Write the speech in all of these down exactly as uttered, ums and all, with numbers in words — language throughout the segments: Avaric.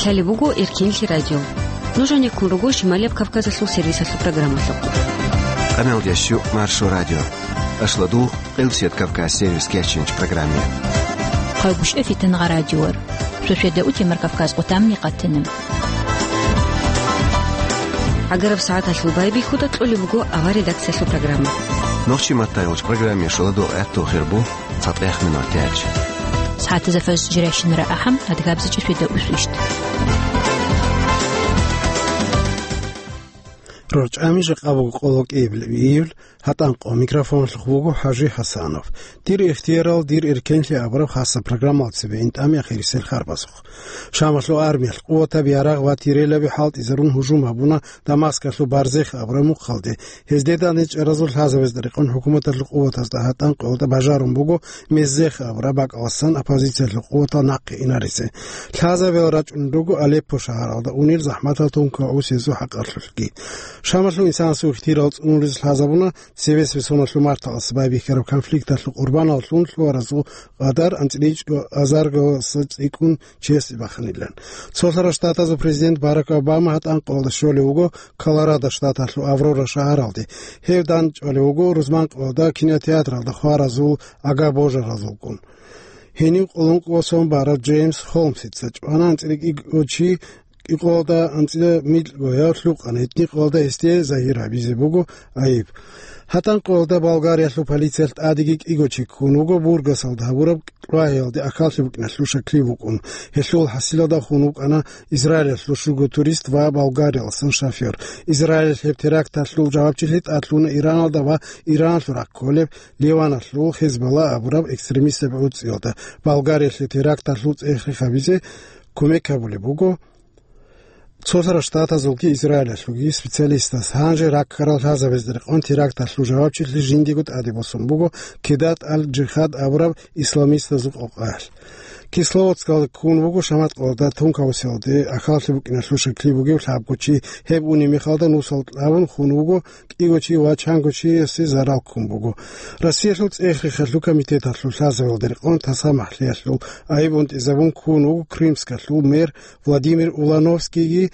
Гьале буго Эркенлъи радио. Нуж гьанеккун руго Шималияб Кавказалъул сервисалъул программалъухъ. Къаналдящу Маршо радио. Ашладу Къилсият Кавказ сервис кечинч программе. Хъайгушев Фитангъа радиор. Шошеда утемар Кавказ къутамни къатинам. Агараб сагӀаталъул байбихьуда кьолеб буго ава редакциялъул программа. Нохчи маттайгъуч программе шуладу гӀатту хирбу. ЦатӀех минутач. СагӀатазда фажр жирайщинара ахӀам, адгабзичӀеб шведа усвищт. РорчӀами жакъа буго къоло кӀиабилеб июль, гьатӀан къо микрофонлъухъ буго ХӀажи ХӀасанов. Дир ихтиярал, дир эркенлъи абураб хасаб программал цебе интӀами ахирисел харбазухъ. Шамалъул армиялъ къуватаб ярагъ ва тирелаби хӀалтӀизарун гьужум гьабуна Дамаскалъул Барзех абураб мухъалде. Гьезде данде чӀаразул лъазабазда рекъон хӀукуматалъул къуватазда гьатӀан къоялда бажарун буго Меззех абураб бакӀаласан оппозициялъул къуватал нахъе инаризе. Лъазабиял рачӀун руго Алеппо шагьаралда унел захӀматал тункал гӀусизул хӀакъалъулъги. Шамалъул инсанасул ихтирал цӀунулез лъазабуна цебесеб соналъул марталъ байбихьараб конфликталъул къурбаналлъун лъугьаразул къадар анцӀила чӀо азаргаласа цӀикӀкӀун чиясе баханилан. Цолъарал Штатазул президент Барак Обама гьатӀан къоялда щолев вуго Колорадо штаталъул Аврора шагьаралде. Гьев дандчӀвалев вуго рузман къоялда кинотеатралда хваразул ага-божаразулгун. Гьенив къулун къосун барав Джеймс Холмсица чӀвана анцӀила кӀиго чи, кӀикъоялда анцӀила микьго гьев лъукъана, гьитӀинкъоялда гьесде загьир гьабизе буго айиб. ГьатӀан къоялда Болгариялъул полициялъ тӀадеги кӀиго чи ккун вуго Бургасалда гьабураб кьвагьиялде ахьаллъи букӀиналъул шаклъи букӀун. Гьелъул хӀасилалда хун вукӀана Израилалъул щуго турист ва Болгариялъул шофер. Израилалъ гьеб теракталъул жавабчилъи тӀадлъуна Ираналда ва Ираналъул рахъ кколеб Ливаналъул Хезболла абураб экстремистаб гӀуцӀиялда. Болгариялъе теракталъул цӀех-рех гьабизе кумек гьабулеб буго. Цолъарал Штатазулги Израилалъулги специалистаз гьанже раккарал лъазабазда рекъон теракталъул жавабчилъи жиндиего тӀаде босун буго Кедат аль-Жихад абураб исламистазул къокъаялъ. Кисловодскалда ккун вуго шамат къоялда тункаусиялде ахьаллъи букӀиналъул шаклъи бугев лъабго чи. Гьеб унеб мехалда нусал кьабун хун вуго кӀиго чи ва чанго чиясе зарал ккун буго. Россиялъул цӀех-рехалъул комитеталъул лъазабазда рекъон таса махлъиялъул айиб унтӀизабун ккун вуго Крымскалъул мэр Владимир Улановскийги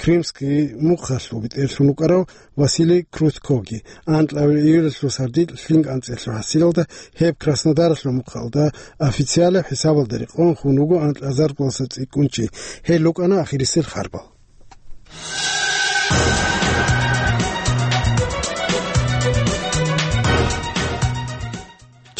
Крымский мухъалъул бетӀерлъун вукӀарав Василий Крутькоги. Анкьабил июлалъул сардилъ лъим анцӀила хӀасилалда гьеб Краснодаралъул мухъалда официалаб хӀисабалда рекъон хун вуго анкьазарго цӀикӀкӀун чи. Гьел рукӀана ахирисел харбал.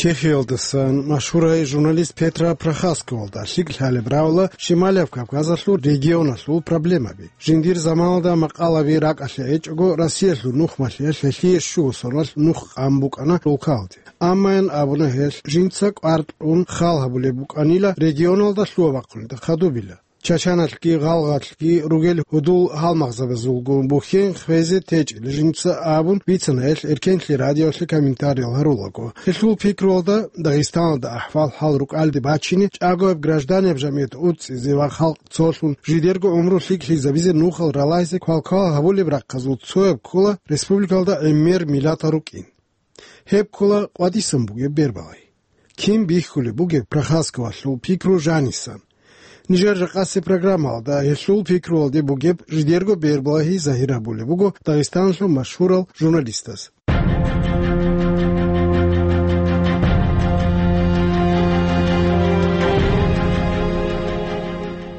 Чехиялдасан машгьурай журналист Петра Прохасковалда лъикӀ лъалеб равла Шималияб Кавказалъул регионалъул проблемаби. Жиндир заманалда макъалаби ракӀалъе гӀечӀого, Россиялъул нухмалъиялъ гьелъие щуго соналъ нух къан букӀана рулкалде. Аммаян абуна гьелъ, жинца кӀвар кьун хал гьабулеб букӀанила регионалда лъугьа-бахъунда хадубила. Чачаналъги гъалгъалъги ругел гьудул-гьалмагъзабазулгун бухьен хвезе течӀила жинца абун бицана гьелъ Эркенлъи радиолъе комментариял гьарулаго. Гьелъул пикруялда, Дагъистаналда ахӀвал-хӀал рукӀалде бачине, чӀагояб гражданиял жамгӀият уцӀцӀизе ва халкъ цолъун жидерго гӀумру лъикӀлъизабизе нухал ралайзе квалквал гьабулеб рахъазул цояб ккола республикалда гӀемер миллатал рукӀин. Гьеб ккола къватӀисан бугеб бербалай. Кин бихьулеб бугеб Прохасковалъул пикру жанисан? Нижер жакъасеб программалда гьелъул пикруялде бугеб жидерго бербалагьи загьир гьабулеб буго Дагъистаналъул машгьурал журналистаз.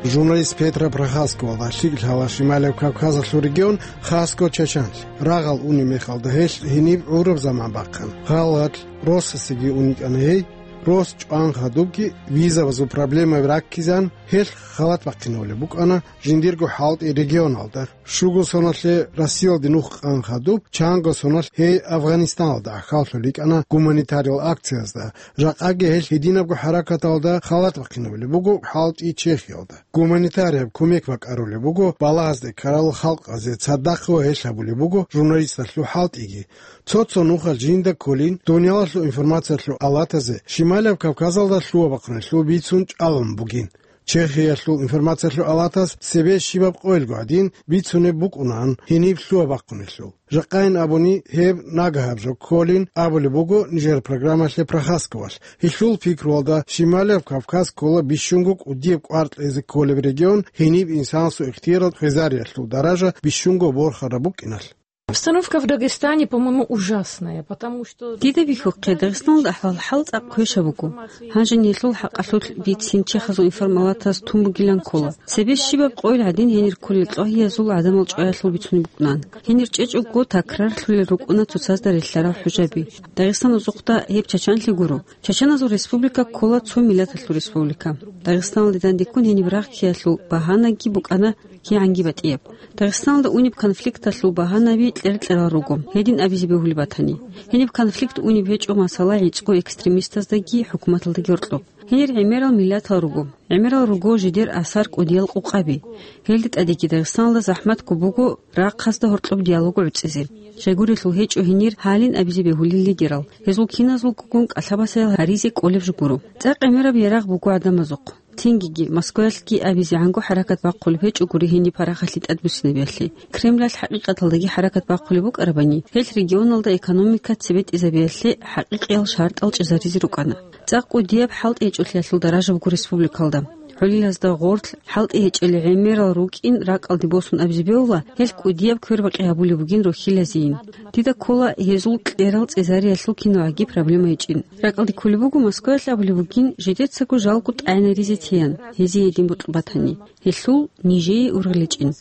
Журналист Петра Прохасковалда лъикӀ лъала Шималияб Кавказалъул регион, хасго Чачанлъи. Рагъал унеб мехалда гьелъ гьениб гӀураб заман бахъана. Гъалгъалъ Россосеги ун йикӀана гьей. Росс чӀван хадубги визабазул проблемаби раккизан, гьелъ халат бахъинабулеб букӀана жиндирго хӀалтӀи регионалда. Щуго соналъе Россиялде нух къан хадуб, чанго соналъ гьей Афганистаналда ахьаллъулел йикӀана гуманитариялъул акциязда. Жакъаги гьелъ гьединабго хӀаракаталда халат бахъинабулеб буго хӀалтӀи Чехиялда. Гуманитарияб кумек бакӀарулеб буго балагьазде ккарал халкъазе, цадахъ ва гьелъ гьабулеб буго журналисталъул хӀалтӀиги. Цо-цо нухал жинда кколин дуниялалъул информациялъул алатазе Шималияб Кавказалда лъугьа-бахъуналъул бицун чӀалун бугин. Чехиялъул информациялъул алатас цебе щибаб къойилго гӀадин бицунеб букӀунаан гьениб лъугьа-бахъунелъул. Жакъайин абуни, гьеб нагагьаб жо кколин абулеб буго нижер программалъе Прохасковалъ. Гьелъул пикруялда, Шималияб Кавказ ккола бищунго кӀудияб кӀвар кьезе кколеб регион, гьениб инсанасул ихтиярал хвезариялъул даража бищунго борхараб букӀиналъ. Обстановка в Дагестане, по-моему, ужасная, потому что... Дида бихьухъе, Дагъистаналда ахӀвал-хӀал цӀакъ квешаб буго. Гьанже нилъул хӀакъалъулъ бицин чехазул информалатаз тун бугилан ккола. Цебе щибаб къойил гӀадин гьенир кколел кьвагьиязул гӀадамал чӀваялъул бицунеб букӀунаан. Гьенир чӀечӀого такрарлъулел рукӀуна цоцазда релълъарал хӀужаби. Дагъистан узухъда гьеб чачанлъи гуро. Чачаназул республика ккола цо миллаталъул республика. Дагъистаналде дандеккун гьениб рагъ ккеялъул багьанаги букӀана кигӀанги батӀияб. Дагъистаналда унеб конфликталъул багьанаби кьер-кьерал руго, гьедин абизе бегьулеб батани. Гьениб конфликт унеб гьечӀо, масала, гӀицӀго экстремистаздаги хӀукуматалдаги гьоркьоб. Гьенир гӀемерал миллатал руго. ГӀемерал руго жидер асар кӀудиял къукъаби. Гьелде тӀадеги Дагъистаналда захӀматго буго рахъазда гьоркьоб диалог гӀуцӀизе. Щайгурелъул гьечӀо гьенир гьалин абизе бегьулел лидерал. Гьезул киназулгогун кӀалъабасаял гьаризе кӀолеб жо гуро. ЦӀакъ гӀемераб ярагъ буго гӀадамазухъ. Цингиги, Москваялъги абизегӀанго хӀаракат бахъулеб гьечӀо гури гьениб парахалъи тӀадбуссинабиялъе. Кремлалъ хӀакъикъаталдаги хӀаракат бахъулеб букӀарабани, гьелъ регионалда экономика цебетӀизабиялъе хӀакъикъиял шартӀал чӀезаризе рукӀана. ЦӀакъ кӀудияб хӀалтӀи гьечӀолъиялъул даража буго республикалда. ГӀолилазда гъорлъ хӀалтӀи гьечӀел гӀемерал рукӀин ракӀалде босун абизе бегьула, гьелъ кӀудияб квербакъи гьабулеб бугин рохьилазейин. Дида ккола гьезул кьерал цӀезариялъул кинаваги проблема гьечӀин. РакӀалде кколеб буго Москваялъ абулеб бугин, жидецаго жалго тӀагӀинаризе теян, гьезие гьедин бокьун батани, гьелъул нижее ургъел гьечӀин.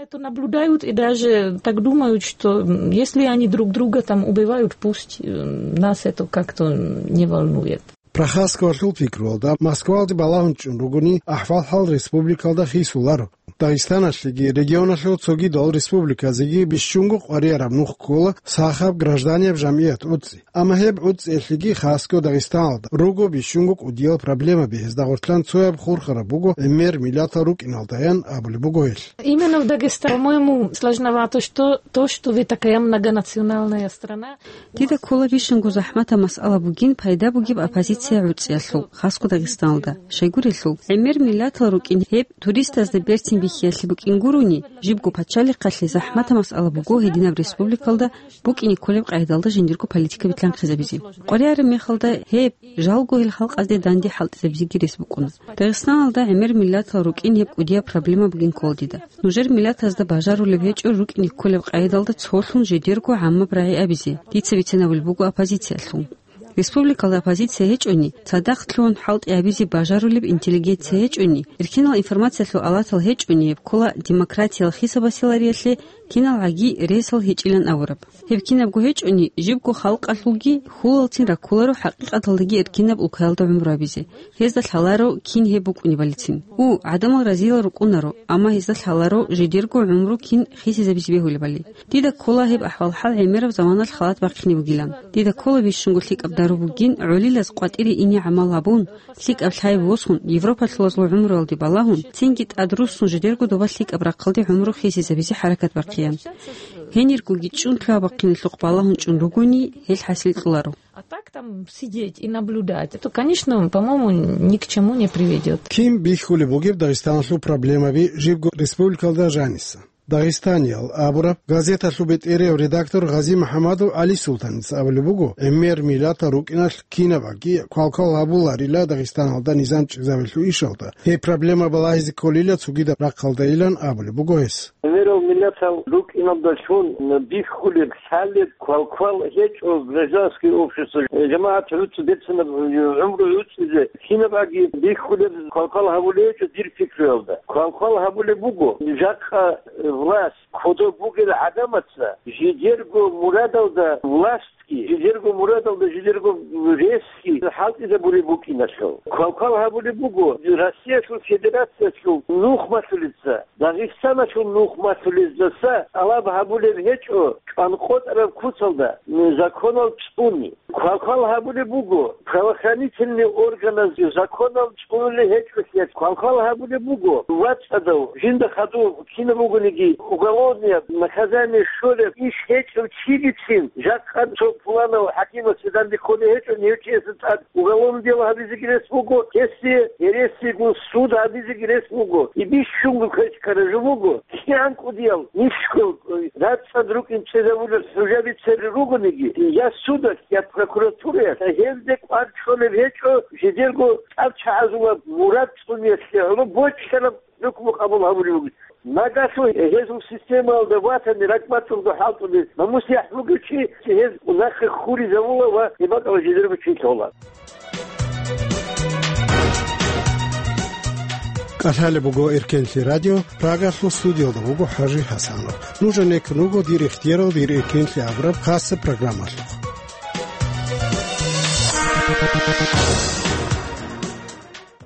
Это наблюдают и даже так думают, что, м, если они друг друга там убивают, пусть, э, нас это как-то не волнует. Прохасковалъул пикруялда, Москвалде балагьун чӀун ругони, ахӀвал-хӀал республикалда хисуларо. Дагъистаналъеги регионалъул цогидал республиказеги бищунго къварияраб нух ккола сахаб гражданияб жамгӀият гӀуцӀи. Амма гьеб гӀуцӀиялъеги хасго Дагъистаналда руго бищунго кӀудиял проблемаби, гьезда гъорлъан цояб хурхараб буго гӀемер миллатал рукӀиналдаян абулеб буго гьелъ. Именно в Дагестане, по-моему, сложновато, что то, что вы такая многонациональная страна. Дида ккола бищунго захӀматаб масъала бугин пайда бугеб оппозиция гӀуцӀиялъул, хасго Дагъистаналда. Щайгурелъул, гӀемер миллатал рукӀин гьеб туристазда берцин бихьиялъе букӀин гурони, жибго пачалихъалъе захӀматаб масъала буго гьединаб республикалда букӀине кколеб къагӀидалда жиндирго политика битлъанхъизабизе. КъваригӀараб мехалда гьеб жалго гьел халкъазде данде хӀалтӀизабизеги рес букӀуна. Дагъистаналда гӀемер миллатал рукӀин гьеб кӀудияб проблема бугин ккола дида. Нужер миллатазда бажарулеб гьечӀо рукӀине кколеб къагӀидалда цолъун жидерго гӀаммаб рагӀи абизе, дица бицинабулеб буго оппозициялъул. Республикалда оппозиция гьечӀони, цадахъ лъугьун хӀалтӀи гьабизе бажарулеб интеллигенция гьечӀони, эркенал информациялъул алатал гьечӀони, гьеб ккола демократиял хисабасилариялъе киналгӀаги ресал гьечӀилан абураб. Гьеб кинабго гьечӀони, жибго халкъалъулги хьулалцин раккуларо хӀакъикъаталдаги эркинаб улкаялда гӀумру гьабизе. Гьезда лъаларо кин гьеб букӀунебалицин. У, гӀадамал разиял рукӀунаро, амма гьезда лъаларо жидерго гӀумру кин хисизабизе бегьулебали. Дида ккола гьеб ахӀвал-хӀал гӀемераб заманалъ халат бахъине бугилан. Дида ккола бищунго лъикӀаб дару бугин, гӀолилаз къватӀире ине гӀамал гьабун, лъикӀаб лъай босун, Европалъулазул гӀумруялде балагьун, цинги тӀадруссун жидерго доба лъикӀаб рахъалде гӀумру хисизабизе хӀаракат бахъеян. Гьениргоги чӀун лъугьа-бахъиналъухъ балагьун чӀун ругони, гьел хӀасил кьоларо. А так там сидеть и наблюдать, это, конечно, по-моему, ни к чему не приведёт. Кин бихьулеб бугеб Дагъистаналъул проблемаби жибго республикалда жаниса? Дагъистаниял абураб газеталъул бетӀерияв редактор Гъази МухӀамадов ГӀали Султаница абулеб буго, гӀемер миллатал рукӀиналъ кинабаги квалквал гьабуларила Дагъистаналда низам чӀезабилъул ишалда. Гьеб проблема балагьизе кколила цогидаб рахъалдайилан абулеб буго гьес. Гьемерал миллатал рукӀиналдалъун бихьулеб, лъалеб квалквал гьечӀо гражданское общество, жамагӀат гӀуцӀи берцинаб гӀумру гӀуцӀизе кинабаги бихьулеб квалквал гьабулеб гьечӀо дир пикруялда. Квалквал гьабулеб буго, жакъа власть кодоб бугел гӀадамаца жидерго мурадалда власть жидерго мурадалда жидерго ресги хӀалтӀизабулеб букӀиналъул. Квалквал гьабулеб буго, Россиялъул Федерациялъул нухмалъулеца, Дагъистаналъул нухмалъулездаса тӀалаб гьабулеб гьечӀо чӀванкъотӀараб куцалда законал цӀуни. Квалквал гьабулеб буго, правоохранительный органаз законал цӀунулел гьечӀолъиялъ. Квалквал гьабулеб буго, вацӀцӀадав, жинда хадув, кинаб бугониги, уголовное наказание щолеб иш гьечӀев чилицин жакъа цо Пуланав хӀакимасда данде кколей гьечӀо, гьев чиясда тӀад уголовный дело гьабизеги рес буго, гьесие гьересиягун суд гьабизеги рес буго. И бищунго квеш ккараб жо буго. КигӀан кӀудиял нишго, э, рацӀцӀад рукӀин цӀезавулел хӀужаби цере ругониги, я судалъ, я прокуратураялъ, гьелде кӀвар чӀолеб гьечӀо, жидерго тӀадчагӀазулаб мурад цӀуниялъе гӀоло бокьараб хӀукму къабул гьабулеб буго. Нагагьлъун гьезул системаялда ватани ракӀбацӀцӀадго хӀалтӀулел намус-яхӀ бугев чи гьез нахъе хьуризавула ва гьеб бакӀалда жидерго чи лъола. КӀалъалеб буго Эркенлъи радио, Прагалъул студиялда вуго ХӀажи ХӀасанов. Нуж гӀенеккун руго дир ихтиярал дир Эркенлъи абураб хасаб программалъухъ.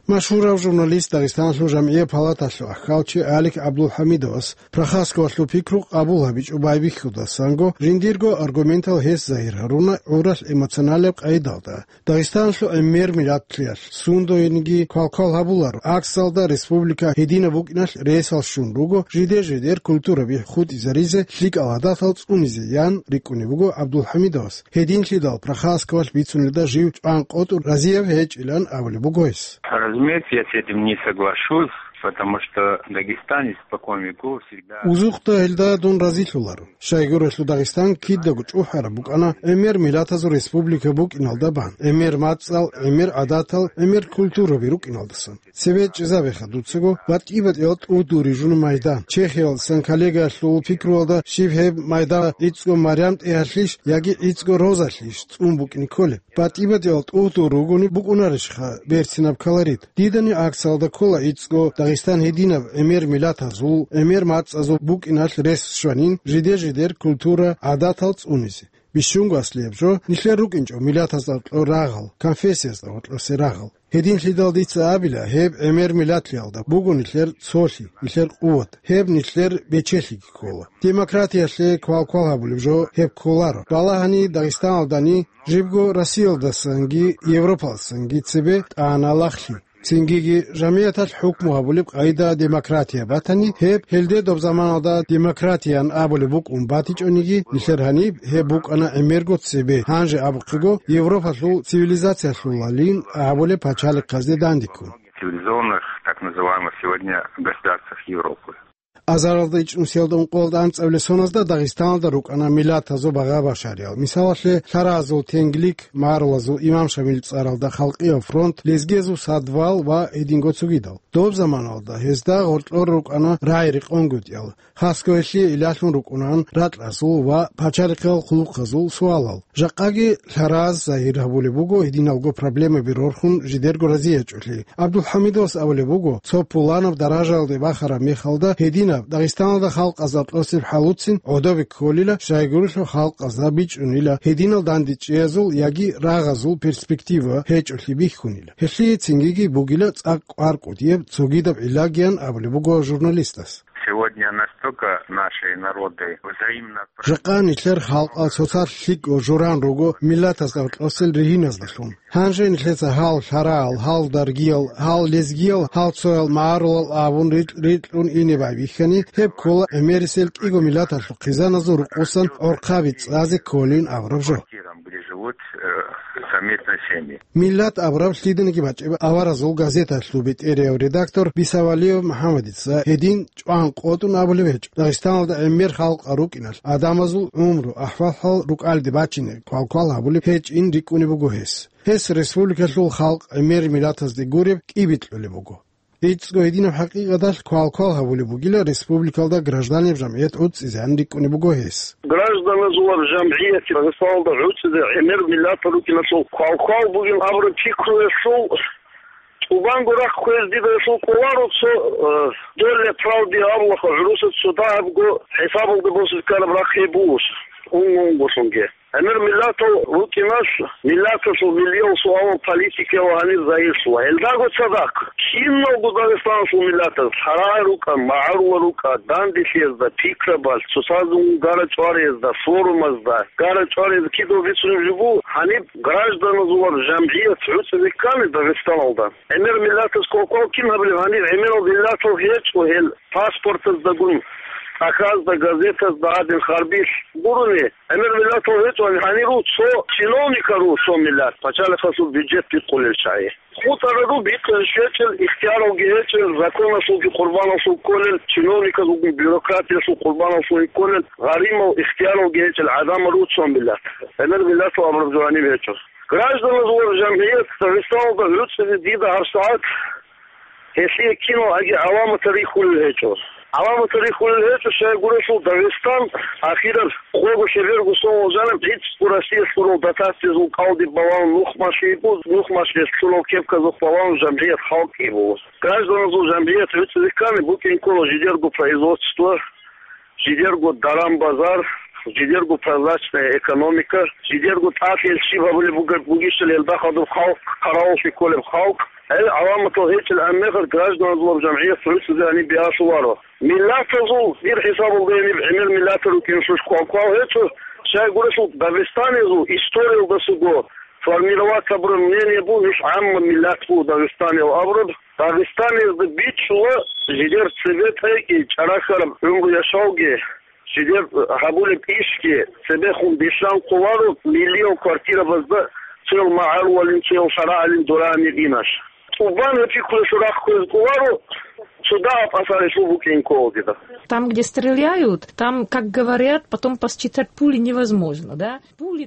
Машгьурав журналист, Дагъистаналъул жамгӀияб палаталъул ахӀалчи Алик ГӀабдулхӀамидовас Прохасковалъул пикру къабул гьабичӀо байбихьудасанго, жиндирго аргументал гьес загьир гьаруна гӀуралъ эмоционалаб къайдалда. Дагъистаналъул гӀемер миллатлъиялъ сундоениги квалквал гьабуларо, аксалда республика гьединаб букӀиналъ ресал щун руго, жиде-жидер культураби хутӀизаризе, лъикӀал гӀадатал цӀунизе, ян рикӀкӀунеб буго ГӀабдулхӀамидовас. Гьединлъидал Прохасковалъ бицунелда жив чӀван къотӀун разияб гьечӀилан абулеб буго гьес. Разумеется, я с этим не соглашусь, потому что дагестанец испокон веков всегда... Узухъда гьелда дун разилъуларо. Щайгурелъул Дагъистан кидаго чӀухӀараб букӀана гӀемер миллатазул республика букӀиналда бан, гӀемер мацӀал, гӀемер гӀадатал, гӀемер культураби рукӀиналдасан. Цебе чӀезабеха дуцаго батӀи-батӀиял тӀугьдул рижун майдан. Чехиялдасан коллегаялъул пикруялда щиб гьеб майдан гӀицӀго Марям-ТӀегьалъищ яги гӀицӀго Розалъищ цӀун букӀине кколеб? БатӀи-батӀиял тӀугьдул ругони букӀунарищха берцинаб колорит? Дидани аксалда ккола гӀицӀго Дагъистан гьединаб гӀемер миллатазул, гӀемер мацӀазул букӀиналъ рес щванин, жиде-жидер культура, гӀадатал цӀунизе. Бищунго аслияб жо, нилъер рукӀинчӀо миллатазда гьоркьор рагъал, конфессиязда гьоркьосе рагъал. Гьединлъидал дица абила, гьеб гӀемер миллатлъиялда буго нилъер цолъи, нилъер къуват, гьеб нилъер бечелъиги ккола. Демократиялъе квалквал гьабулеб жо гьеб кколаро. Балагьани Дагъистаналдани, жибго Россиялдасанги Европалдасанги цебе тӀана лагълъи. Цингиги жамигӀаталъ хӀукму гьабулеб къайда демократия батани, гьеб гьелде доб заманалда демократиян абулеб букӀун батичӀониги, нилъер гьаниб гьеб букӀана гӀемерго цебе, гьанже абухъего, Европалъул цивилизациялъулалин абулеб пачалихъазде дандеккун. Цивилизованных, так называемых сегодня государствах Европы. Азаралда ичӀнусиялда ункъоялда анцӀабилеб соназда Дагъистаналда рукӀана миллатазул багъа-башариял. Мисалалъе, лъаразул тенглик, магӀарулазул Имам Шамил цӀаралда Халкъиял фронт, лезгиязул Садвал ва гьединго цогидал. Доб заманалда гьезда гьоркьор рукӀана рагӀи-рекъонгутӀиял, хасго гьелъие илалъун рукӀунан ракьазул ва пачалихъал хъулухъазул суалал. Жакъаги лъараз загьир гьабулеб буго гьединалго проблемаби рорхун жидерго разиячӀолъи. ГӀабдулхӀамидовас абулеб буго, цо пуланаб даражаялде бахараб мехалда гьединаб Дагъистаналда халкъазда кьосеб хӀалуцин гӀодобе кколила, щайгурелъул халкъазда бичӀчӀунила гьединал дандечӀеязул яги рагъазул перспектива гьечӀолъи бихьунила. Гьелъие цингиги бугила цӀакъ кӀвар кӀудияб цогидаб гӀиллагиян абулеб буго журналистас. Сегодня настолько наши народы взаимно... Жакъа нилъер халкъал цоцалъ лъикӀго журан руго миллатазда кьосел ригьиназдалъун. Гьанже нилъеца гьал лъараал, гьал даргиял, гьал лезгиял, гьал цоял магӀарулал абун рикь-рикьун ине байбихьани, гьеб ккола гӀемерисел кӀиго миллаталъул хъизаназул рукъусан гӀорхъаби цӀазе кколин абураб жо. Где живут, э, совместные семьи. Миллат абураб лъиданиги бачӀеб аваразул газеталъул бетӀерияв редактор Бисавалиев МухӀаммадица гьедин чӀван къотӀун абулеб гьечӀо, Дагъистаналда гӀемер халкъал рукӀиналъ, гӀадамазул гӀумру, ахӀвал-хӀал рукӀалде бачине квалквал гьабулеб гьечӀин рикӀкӀунеб буго гьес. Гьес республикалъул халкъ гӀемер миллатазде гуреб кӀиби кьолеб буго. ГӀицӀго гьединаб хӀакъикъаталъ квалквал гьабулеб бугила республикалда гражданиял жамгӀият гӀуцӀизеян рикӀкӀунеб буго гьес. Гражданазулаб жамгӀият Дагъистаналда гӀуцӀизе гӀемер миллатал рукӀиналъул квалквал бугин абураб пикруялъул тӀубанго рахъ хвез дида гьелъул кӀоларо цо, э, доля правды абулаха гӀурусаз цо дагьабго хӀисабалда босизе ккараб рахъ гьеб бугос, унго-унголъунги. ГӀемер миллатал рукӀиналъ, миллаталъул миллиял суалал политикаялда гьанир загьирлъула. Гьелдаго цадахъ, киналго Дагъистаналъул миллатаз, лъарал рукӀа, магӀарулал рукӀа, данделъиязда, пикрабалъ, цоцазда унго гара-чӀвариязда, форумазда, гара-чӀвариязда кидал бицунеб жо буго, гьаниб гражданазулаб жамгӀият гӀуцӀизе ккани Дагъистаналда. ГӀемер миллатаз квалквал кин гьабилеб гьанир? ГӀемерал миллатал гьечӀо гьел паспортаздагун, Ахазда, газетазда гьадин харбилъ гурони, гӀемер миллатал гьечӀони гьаниру цо чиновникару цо миллат пачалихъасул бюджет бикъулел чагӀи. ХутӀарару бикъулел щвечӀел, ихтияралги гьечӀел, законалъулги къурбаналъул кколел, чиновниказулгун бюрократиялъул къурбаналъул кколел, гъаримал ихтияралги гьечӀел гӀадамару цо миллат. ГӀемер миллатал абураб жо гьаниб гьечӀо. Гражданазул жамгӀият Дагъистаналда гӀуцӀизе дида гьабсагӀат гьелъие киналги гӀаламатал рихьулел гьечӀо. ГӀаламатал рихьулел гьечӀо, щайгурелъул Дагъистан ахираб къого-щеберго сон валжанаб гӀицӀго Россиялъ лъурал дотациязул кӀалдиб балагьун нухмашлъи йикӀун, нухмашлъиялъ лъурал кепказухъ балагьун жамгӀият халкъ йибу. Гражданазул жамгӀият гӀуцӀизе ккани букӀин ккола жидерго производство, жидерго даран-базар, жидерго прозрачная экономика, жидерго тӀад гьел щиб гьабулеб бугеб-, бугищал гьелда хадуб халкъ, хъаравуллъи кколеб халкъ. Гьел гӀаламатал гьечӀел гӀемер гражданазул жамгӀият гӀуцӀизе гьаниб биялъуларо. Миллатазул дир хӀисабалда гьениб гӀемер миллатал рукӀиналъулъ квал-квал гьечӀо, щайгурелъул Дагъистаниязул историялдасаго формировать гьабураб мнение буго, гьелъ гӀамма миллат буго Дагъистаниял абураб. Дагъистаниязда бичӀчӀула жидер цебетӀайги, чӀарахьараб гӀумру-яшавги, жидер гьабулеб ишги, цебехун бищан хъуларо миллиял квартирабазда цоял магӀарулалин, цоял шарагӀалин дурагьанир инаш. ТӀубан гьеб пикруялъул рахъ кквезе кӀоларо, цо дагьаб асарилъул букӀин кколагида. Там, где стреляют, там, как говорят, потом посчитать пули невозможно, да?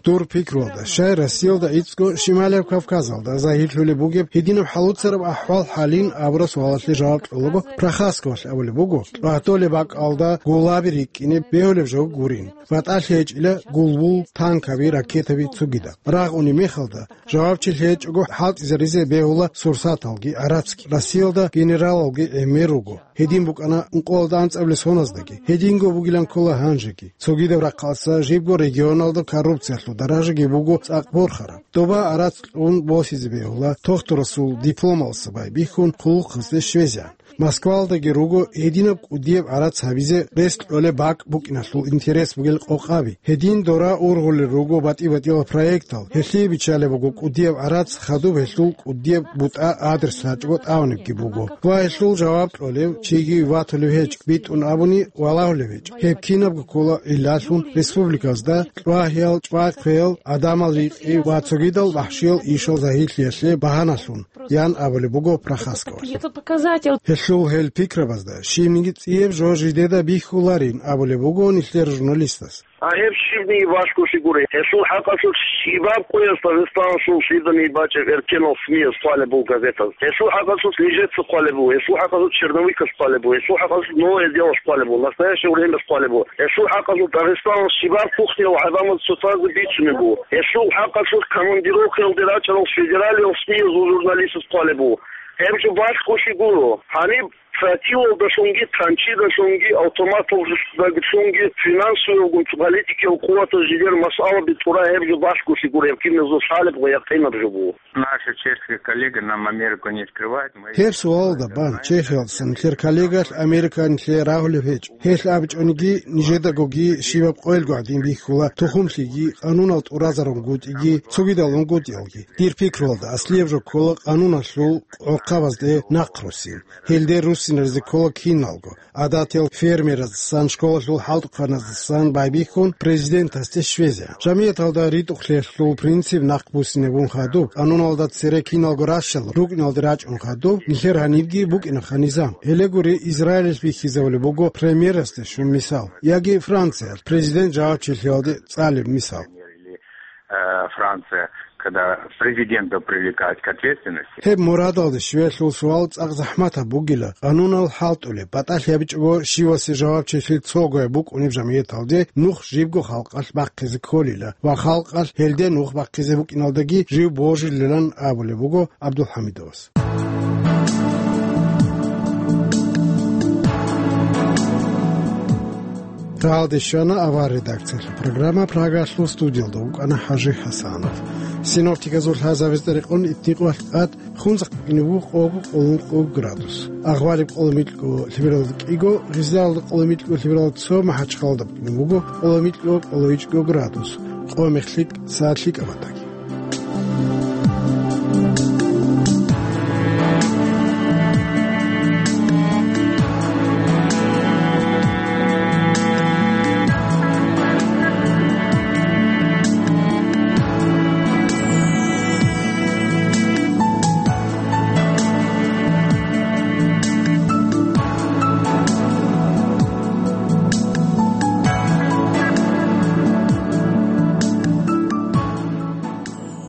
Дур пикруялда, щай Россиялда гӀицӀго Шималияб Кавказалда загьирлъулеб бугеб гьединаб хӀалуцараб ахӀвал-хӀалин абураб суалалъе жаваб кьолаго, Прохасковалъ абулеб буго, чӀватолеб бакӀалда гулаби рикӀкӀине бегьулеб жо гурин, батӀалъи гьечӀила гулбул, танкаби, ракетаби цогидаб. Рагъ унеб мехалда, жавабчи лъечӀого хӀалтӀизаризе бегьула сурсаталги гӀарацги, Россиялда генералалги гӀемер руго. Гьедин букӀана ункъоялда анцӀабилеб соназдаги, гьединго бугилан ккола гьанжеги. Цогидаб рахъалъа жибго регионалда коррупциялъул даражаги буго цӀакъ борхараб. Доба гӀарац кьун босизе бегьула, тохтурасул дипломалъа байбихьун хъулухъазде щвезегӀан. Москваялдаги руго гьединаб кӀудияб гӀарац гьабизе рес кьолеб бакӀ букӀиналъул интерес бугел къокъаби. Гьедин дора ургъулел руго батӀи-батӀиял проектал. Гьелъие биччалеб буго кӀудияб гӀарац хадуб гьелъул кӀудияб бутӀа адрес лъачӀого тӀамунебги буго. Ва гьелъул жаваб кьолев чиги ватулев гьечӀ, битӀун абуни валагьулев гьечӀ. Гьеб кинабго ккола гӀиллалъун республиказда чӀвагьиял, чӀвай-хъвеял, гӀадамал рикъи ва цогидал вахӀшиял ишал загьирлъиялъе багьаналъун, ян абулеб буго Прохасковалъ. Это показатель. Гьелъул гьел пикрабазда щибниги цӀияб жо жидеда бихьуларин абулеб буго нилъер журналистас. А гьеб щибниги балъголъи гуро. Гьелъул хӀакъалъулъ щибаб къоялъ Дагъистаналъул лъиданиги бачӀеб эркенал СМИяз хъвалеб буго, газетаз. Гьелъул хӀакъалъулъ Нижеца хъвалеб буго, гьелъул хӀакъалъулъ Черновикас хъвалеб буго, гьелъул хӀакъалъулъ Новое Делос хъвалеб буго, Настоящее Времяс хъвалеб буго. Гьелъул хӀакъалъулъ Дагъистаналъ щибаб кухнияв гӀадамаз цоцазда бицунеб буго. Гьелъул хӀакъалъулъ командировкаялде рачӀарал федералиял СМИязул журналистаз хъвалеб буго. Гьеб жо балъголъи гуро. Гьаниб тротилалдалъунги, танчидалъунги, автоматалдалъунги, финансовыйалгун политикиял къуватаз жидер масъалаби тӀура гьеб жо балъголъи гуро, гьеб киназул лъалеб ва якъинаб жо буго. Наши чешские коллеги нам Америку не скрывают. Мы Гьеб суалалда бан, Чехиялдаса нилъер коллегалъ Америка нилъее рагьулеб гьечӀо. Гьелъ абичӀониги, нижедагоги щибаб къоялго гӀадин бихьула, тухумлъиги, къанунал тӀуразарун гутӀиги, цогидал унгутӀиялги. Дир пикруялда, аслияб жо ккола къануналъул гӀорхъабазде нахъ руссин. Гьелде руссинаризе ккола киналго. ГӀадатиял фермераздасан, школалъул хӀалтӀухъаназдасан байбихьун президентасде щвезе. Жамигьаталда ритӀухълъиялъул принцип нахъ буссинабун хадуб, къануналда цере киналго ращал рукӀиналде рачӀун хадуб, нилъер гьанибги букӀинаха низам. Гьеле гури, Израилалъ бихьизабулеб буго премьерасде щун мисал, яги Франциялъ президент жавабчилъиялде цӀалеб мисал. Или, э, Франция, когда президента привлекают к ответственности. Гьеб мурадалде щвеялъул суал цӀакъ захӀматаб бугила, къанунал хӀалтӀулеб, батӀалъи гьабичӀого щивасе жавабчилъи цогояб букӀунеб жамигьаталде нух жибго халкъалъ бахъизе кколила ва халкъалъ гьелде нух бахъизе букӀиналдаги жив божилилан абулеб буго ГӀабдулхӀамидовас. Рагьалде щвана авар редакциялъул программа, Прагалъул студиялда вукӀана ХӀажи ХӀасанов. Синоптиказул лъазабазда рекъон, итникъоялъ тӀад хунзахъ букӀине буго къого-къоло градус. Агъвариб къоло-микьго, лъимералда кӀиго, гъизалда къоло-микьго, лъимералда цо, МахӀачхъалда букӀине буго къоло-микьго, къоло-ичӀго градус. Къо-мех лъикӀ, сагӀат лъикӀаб батаги.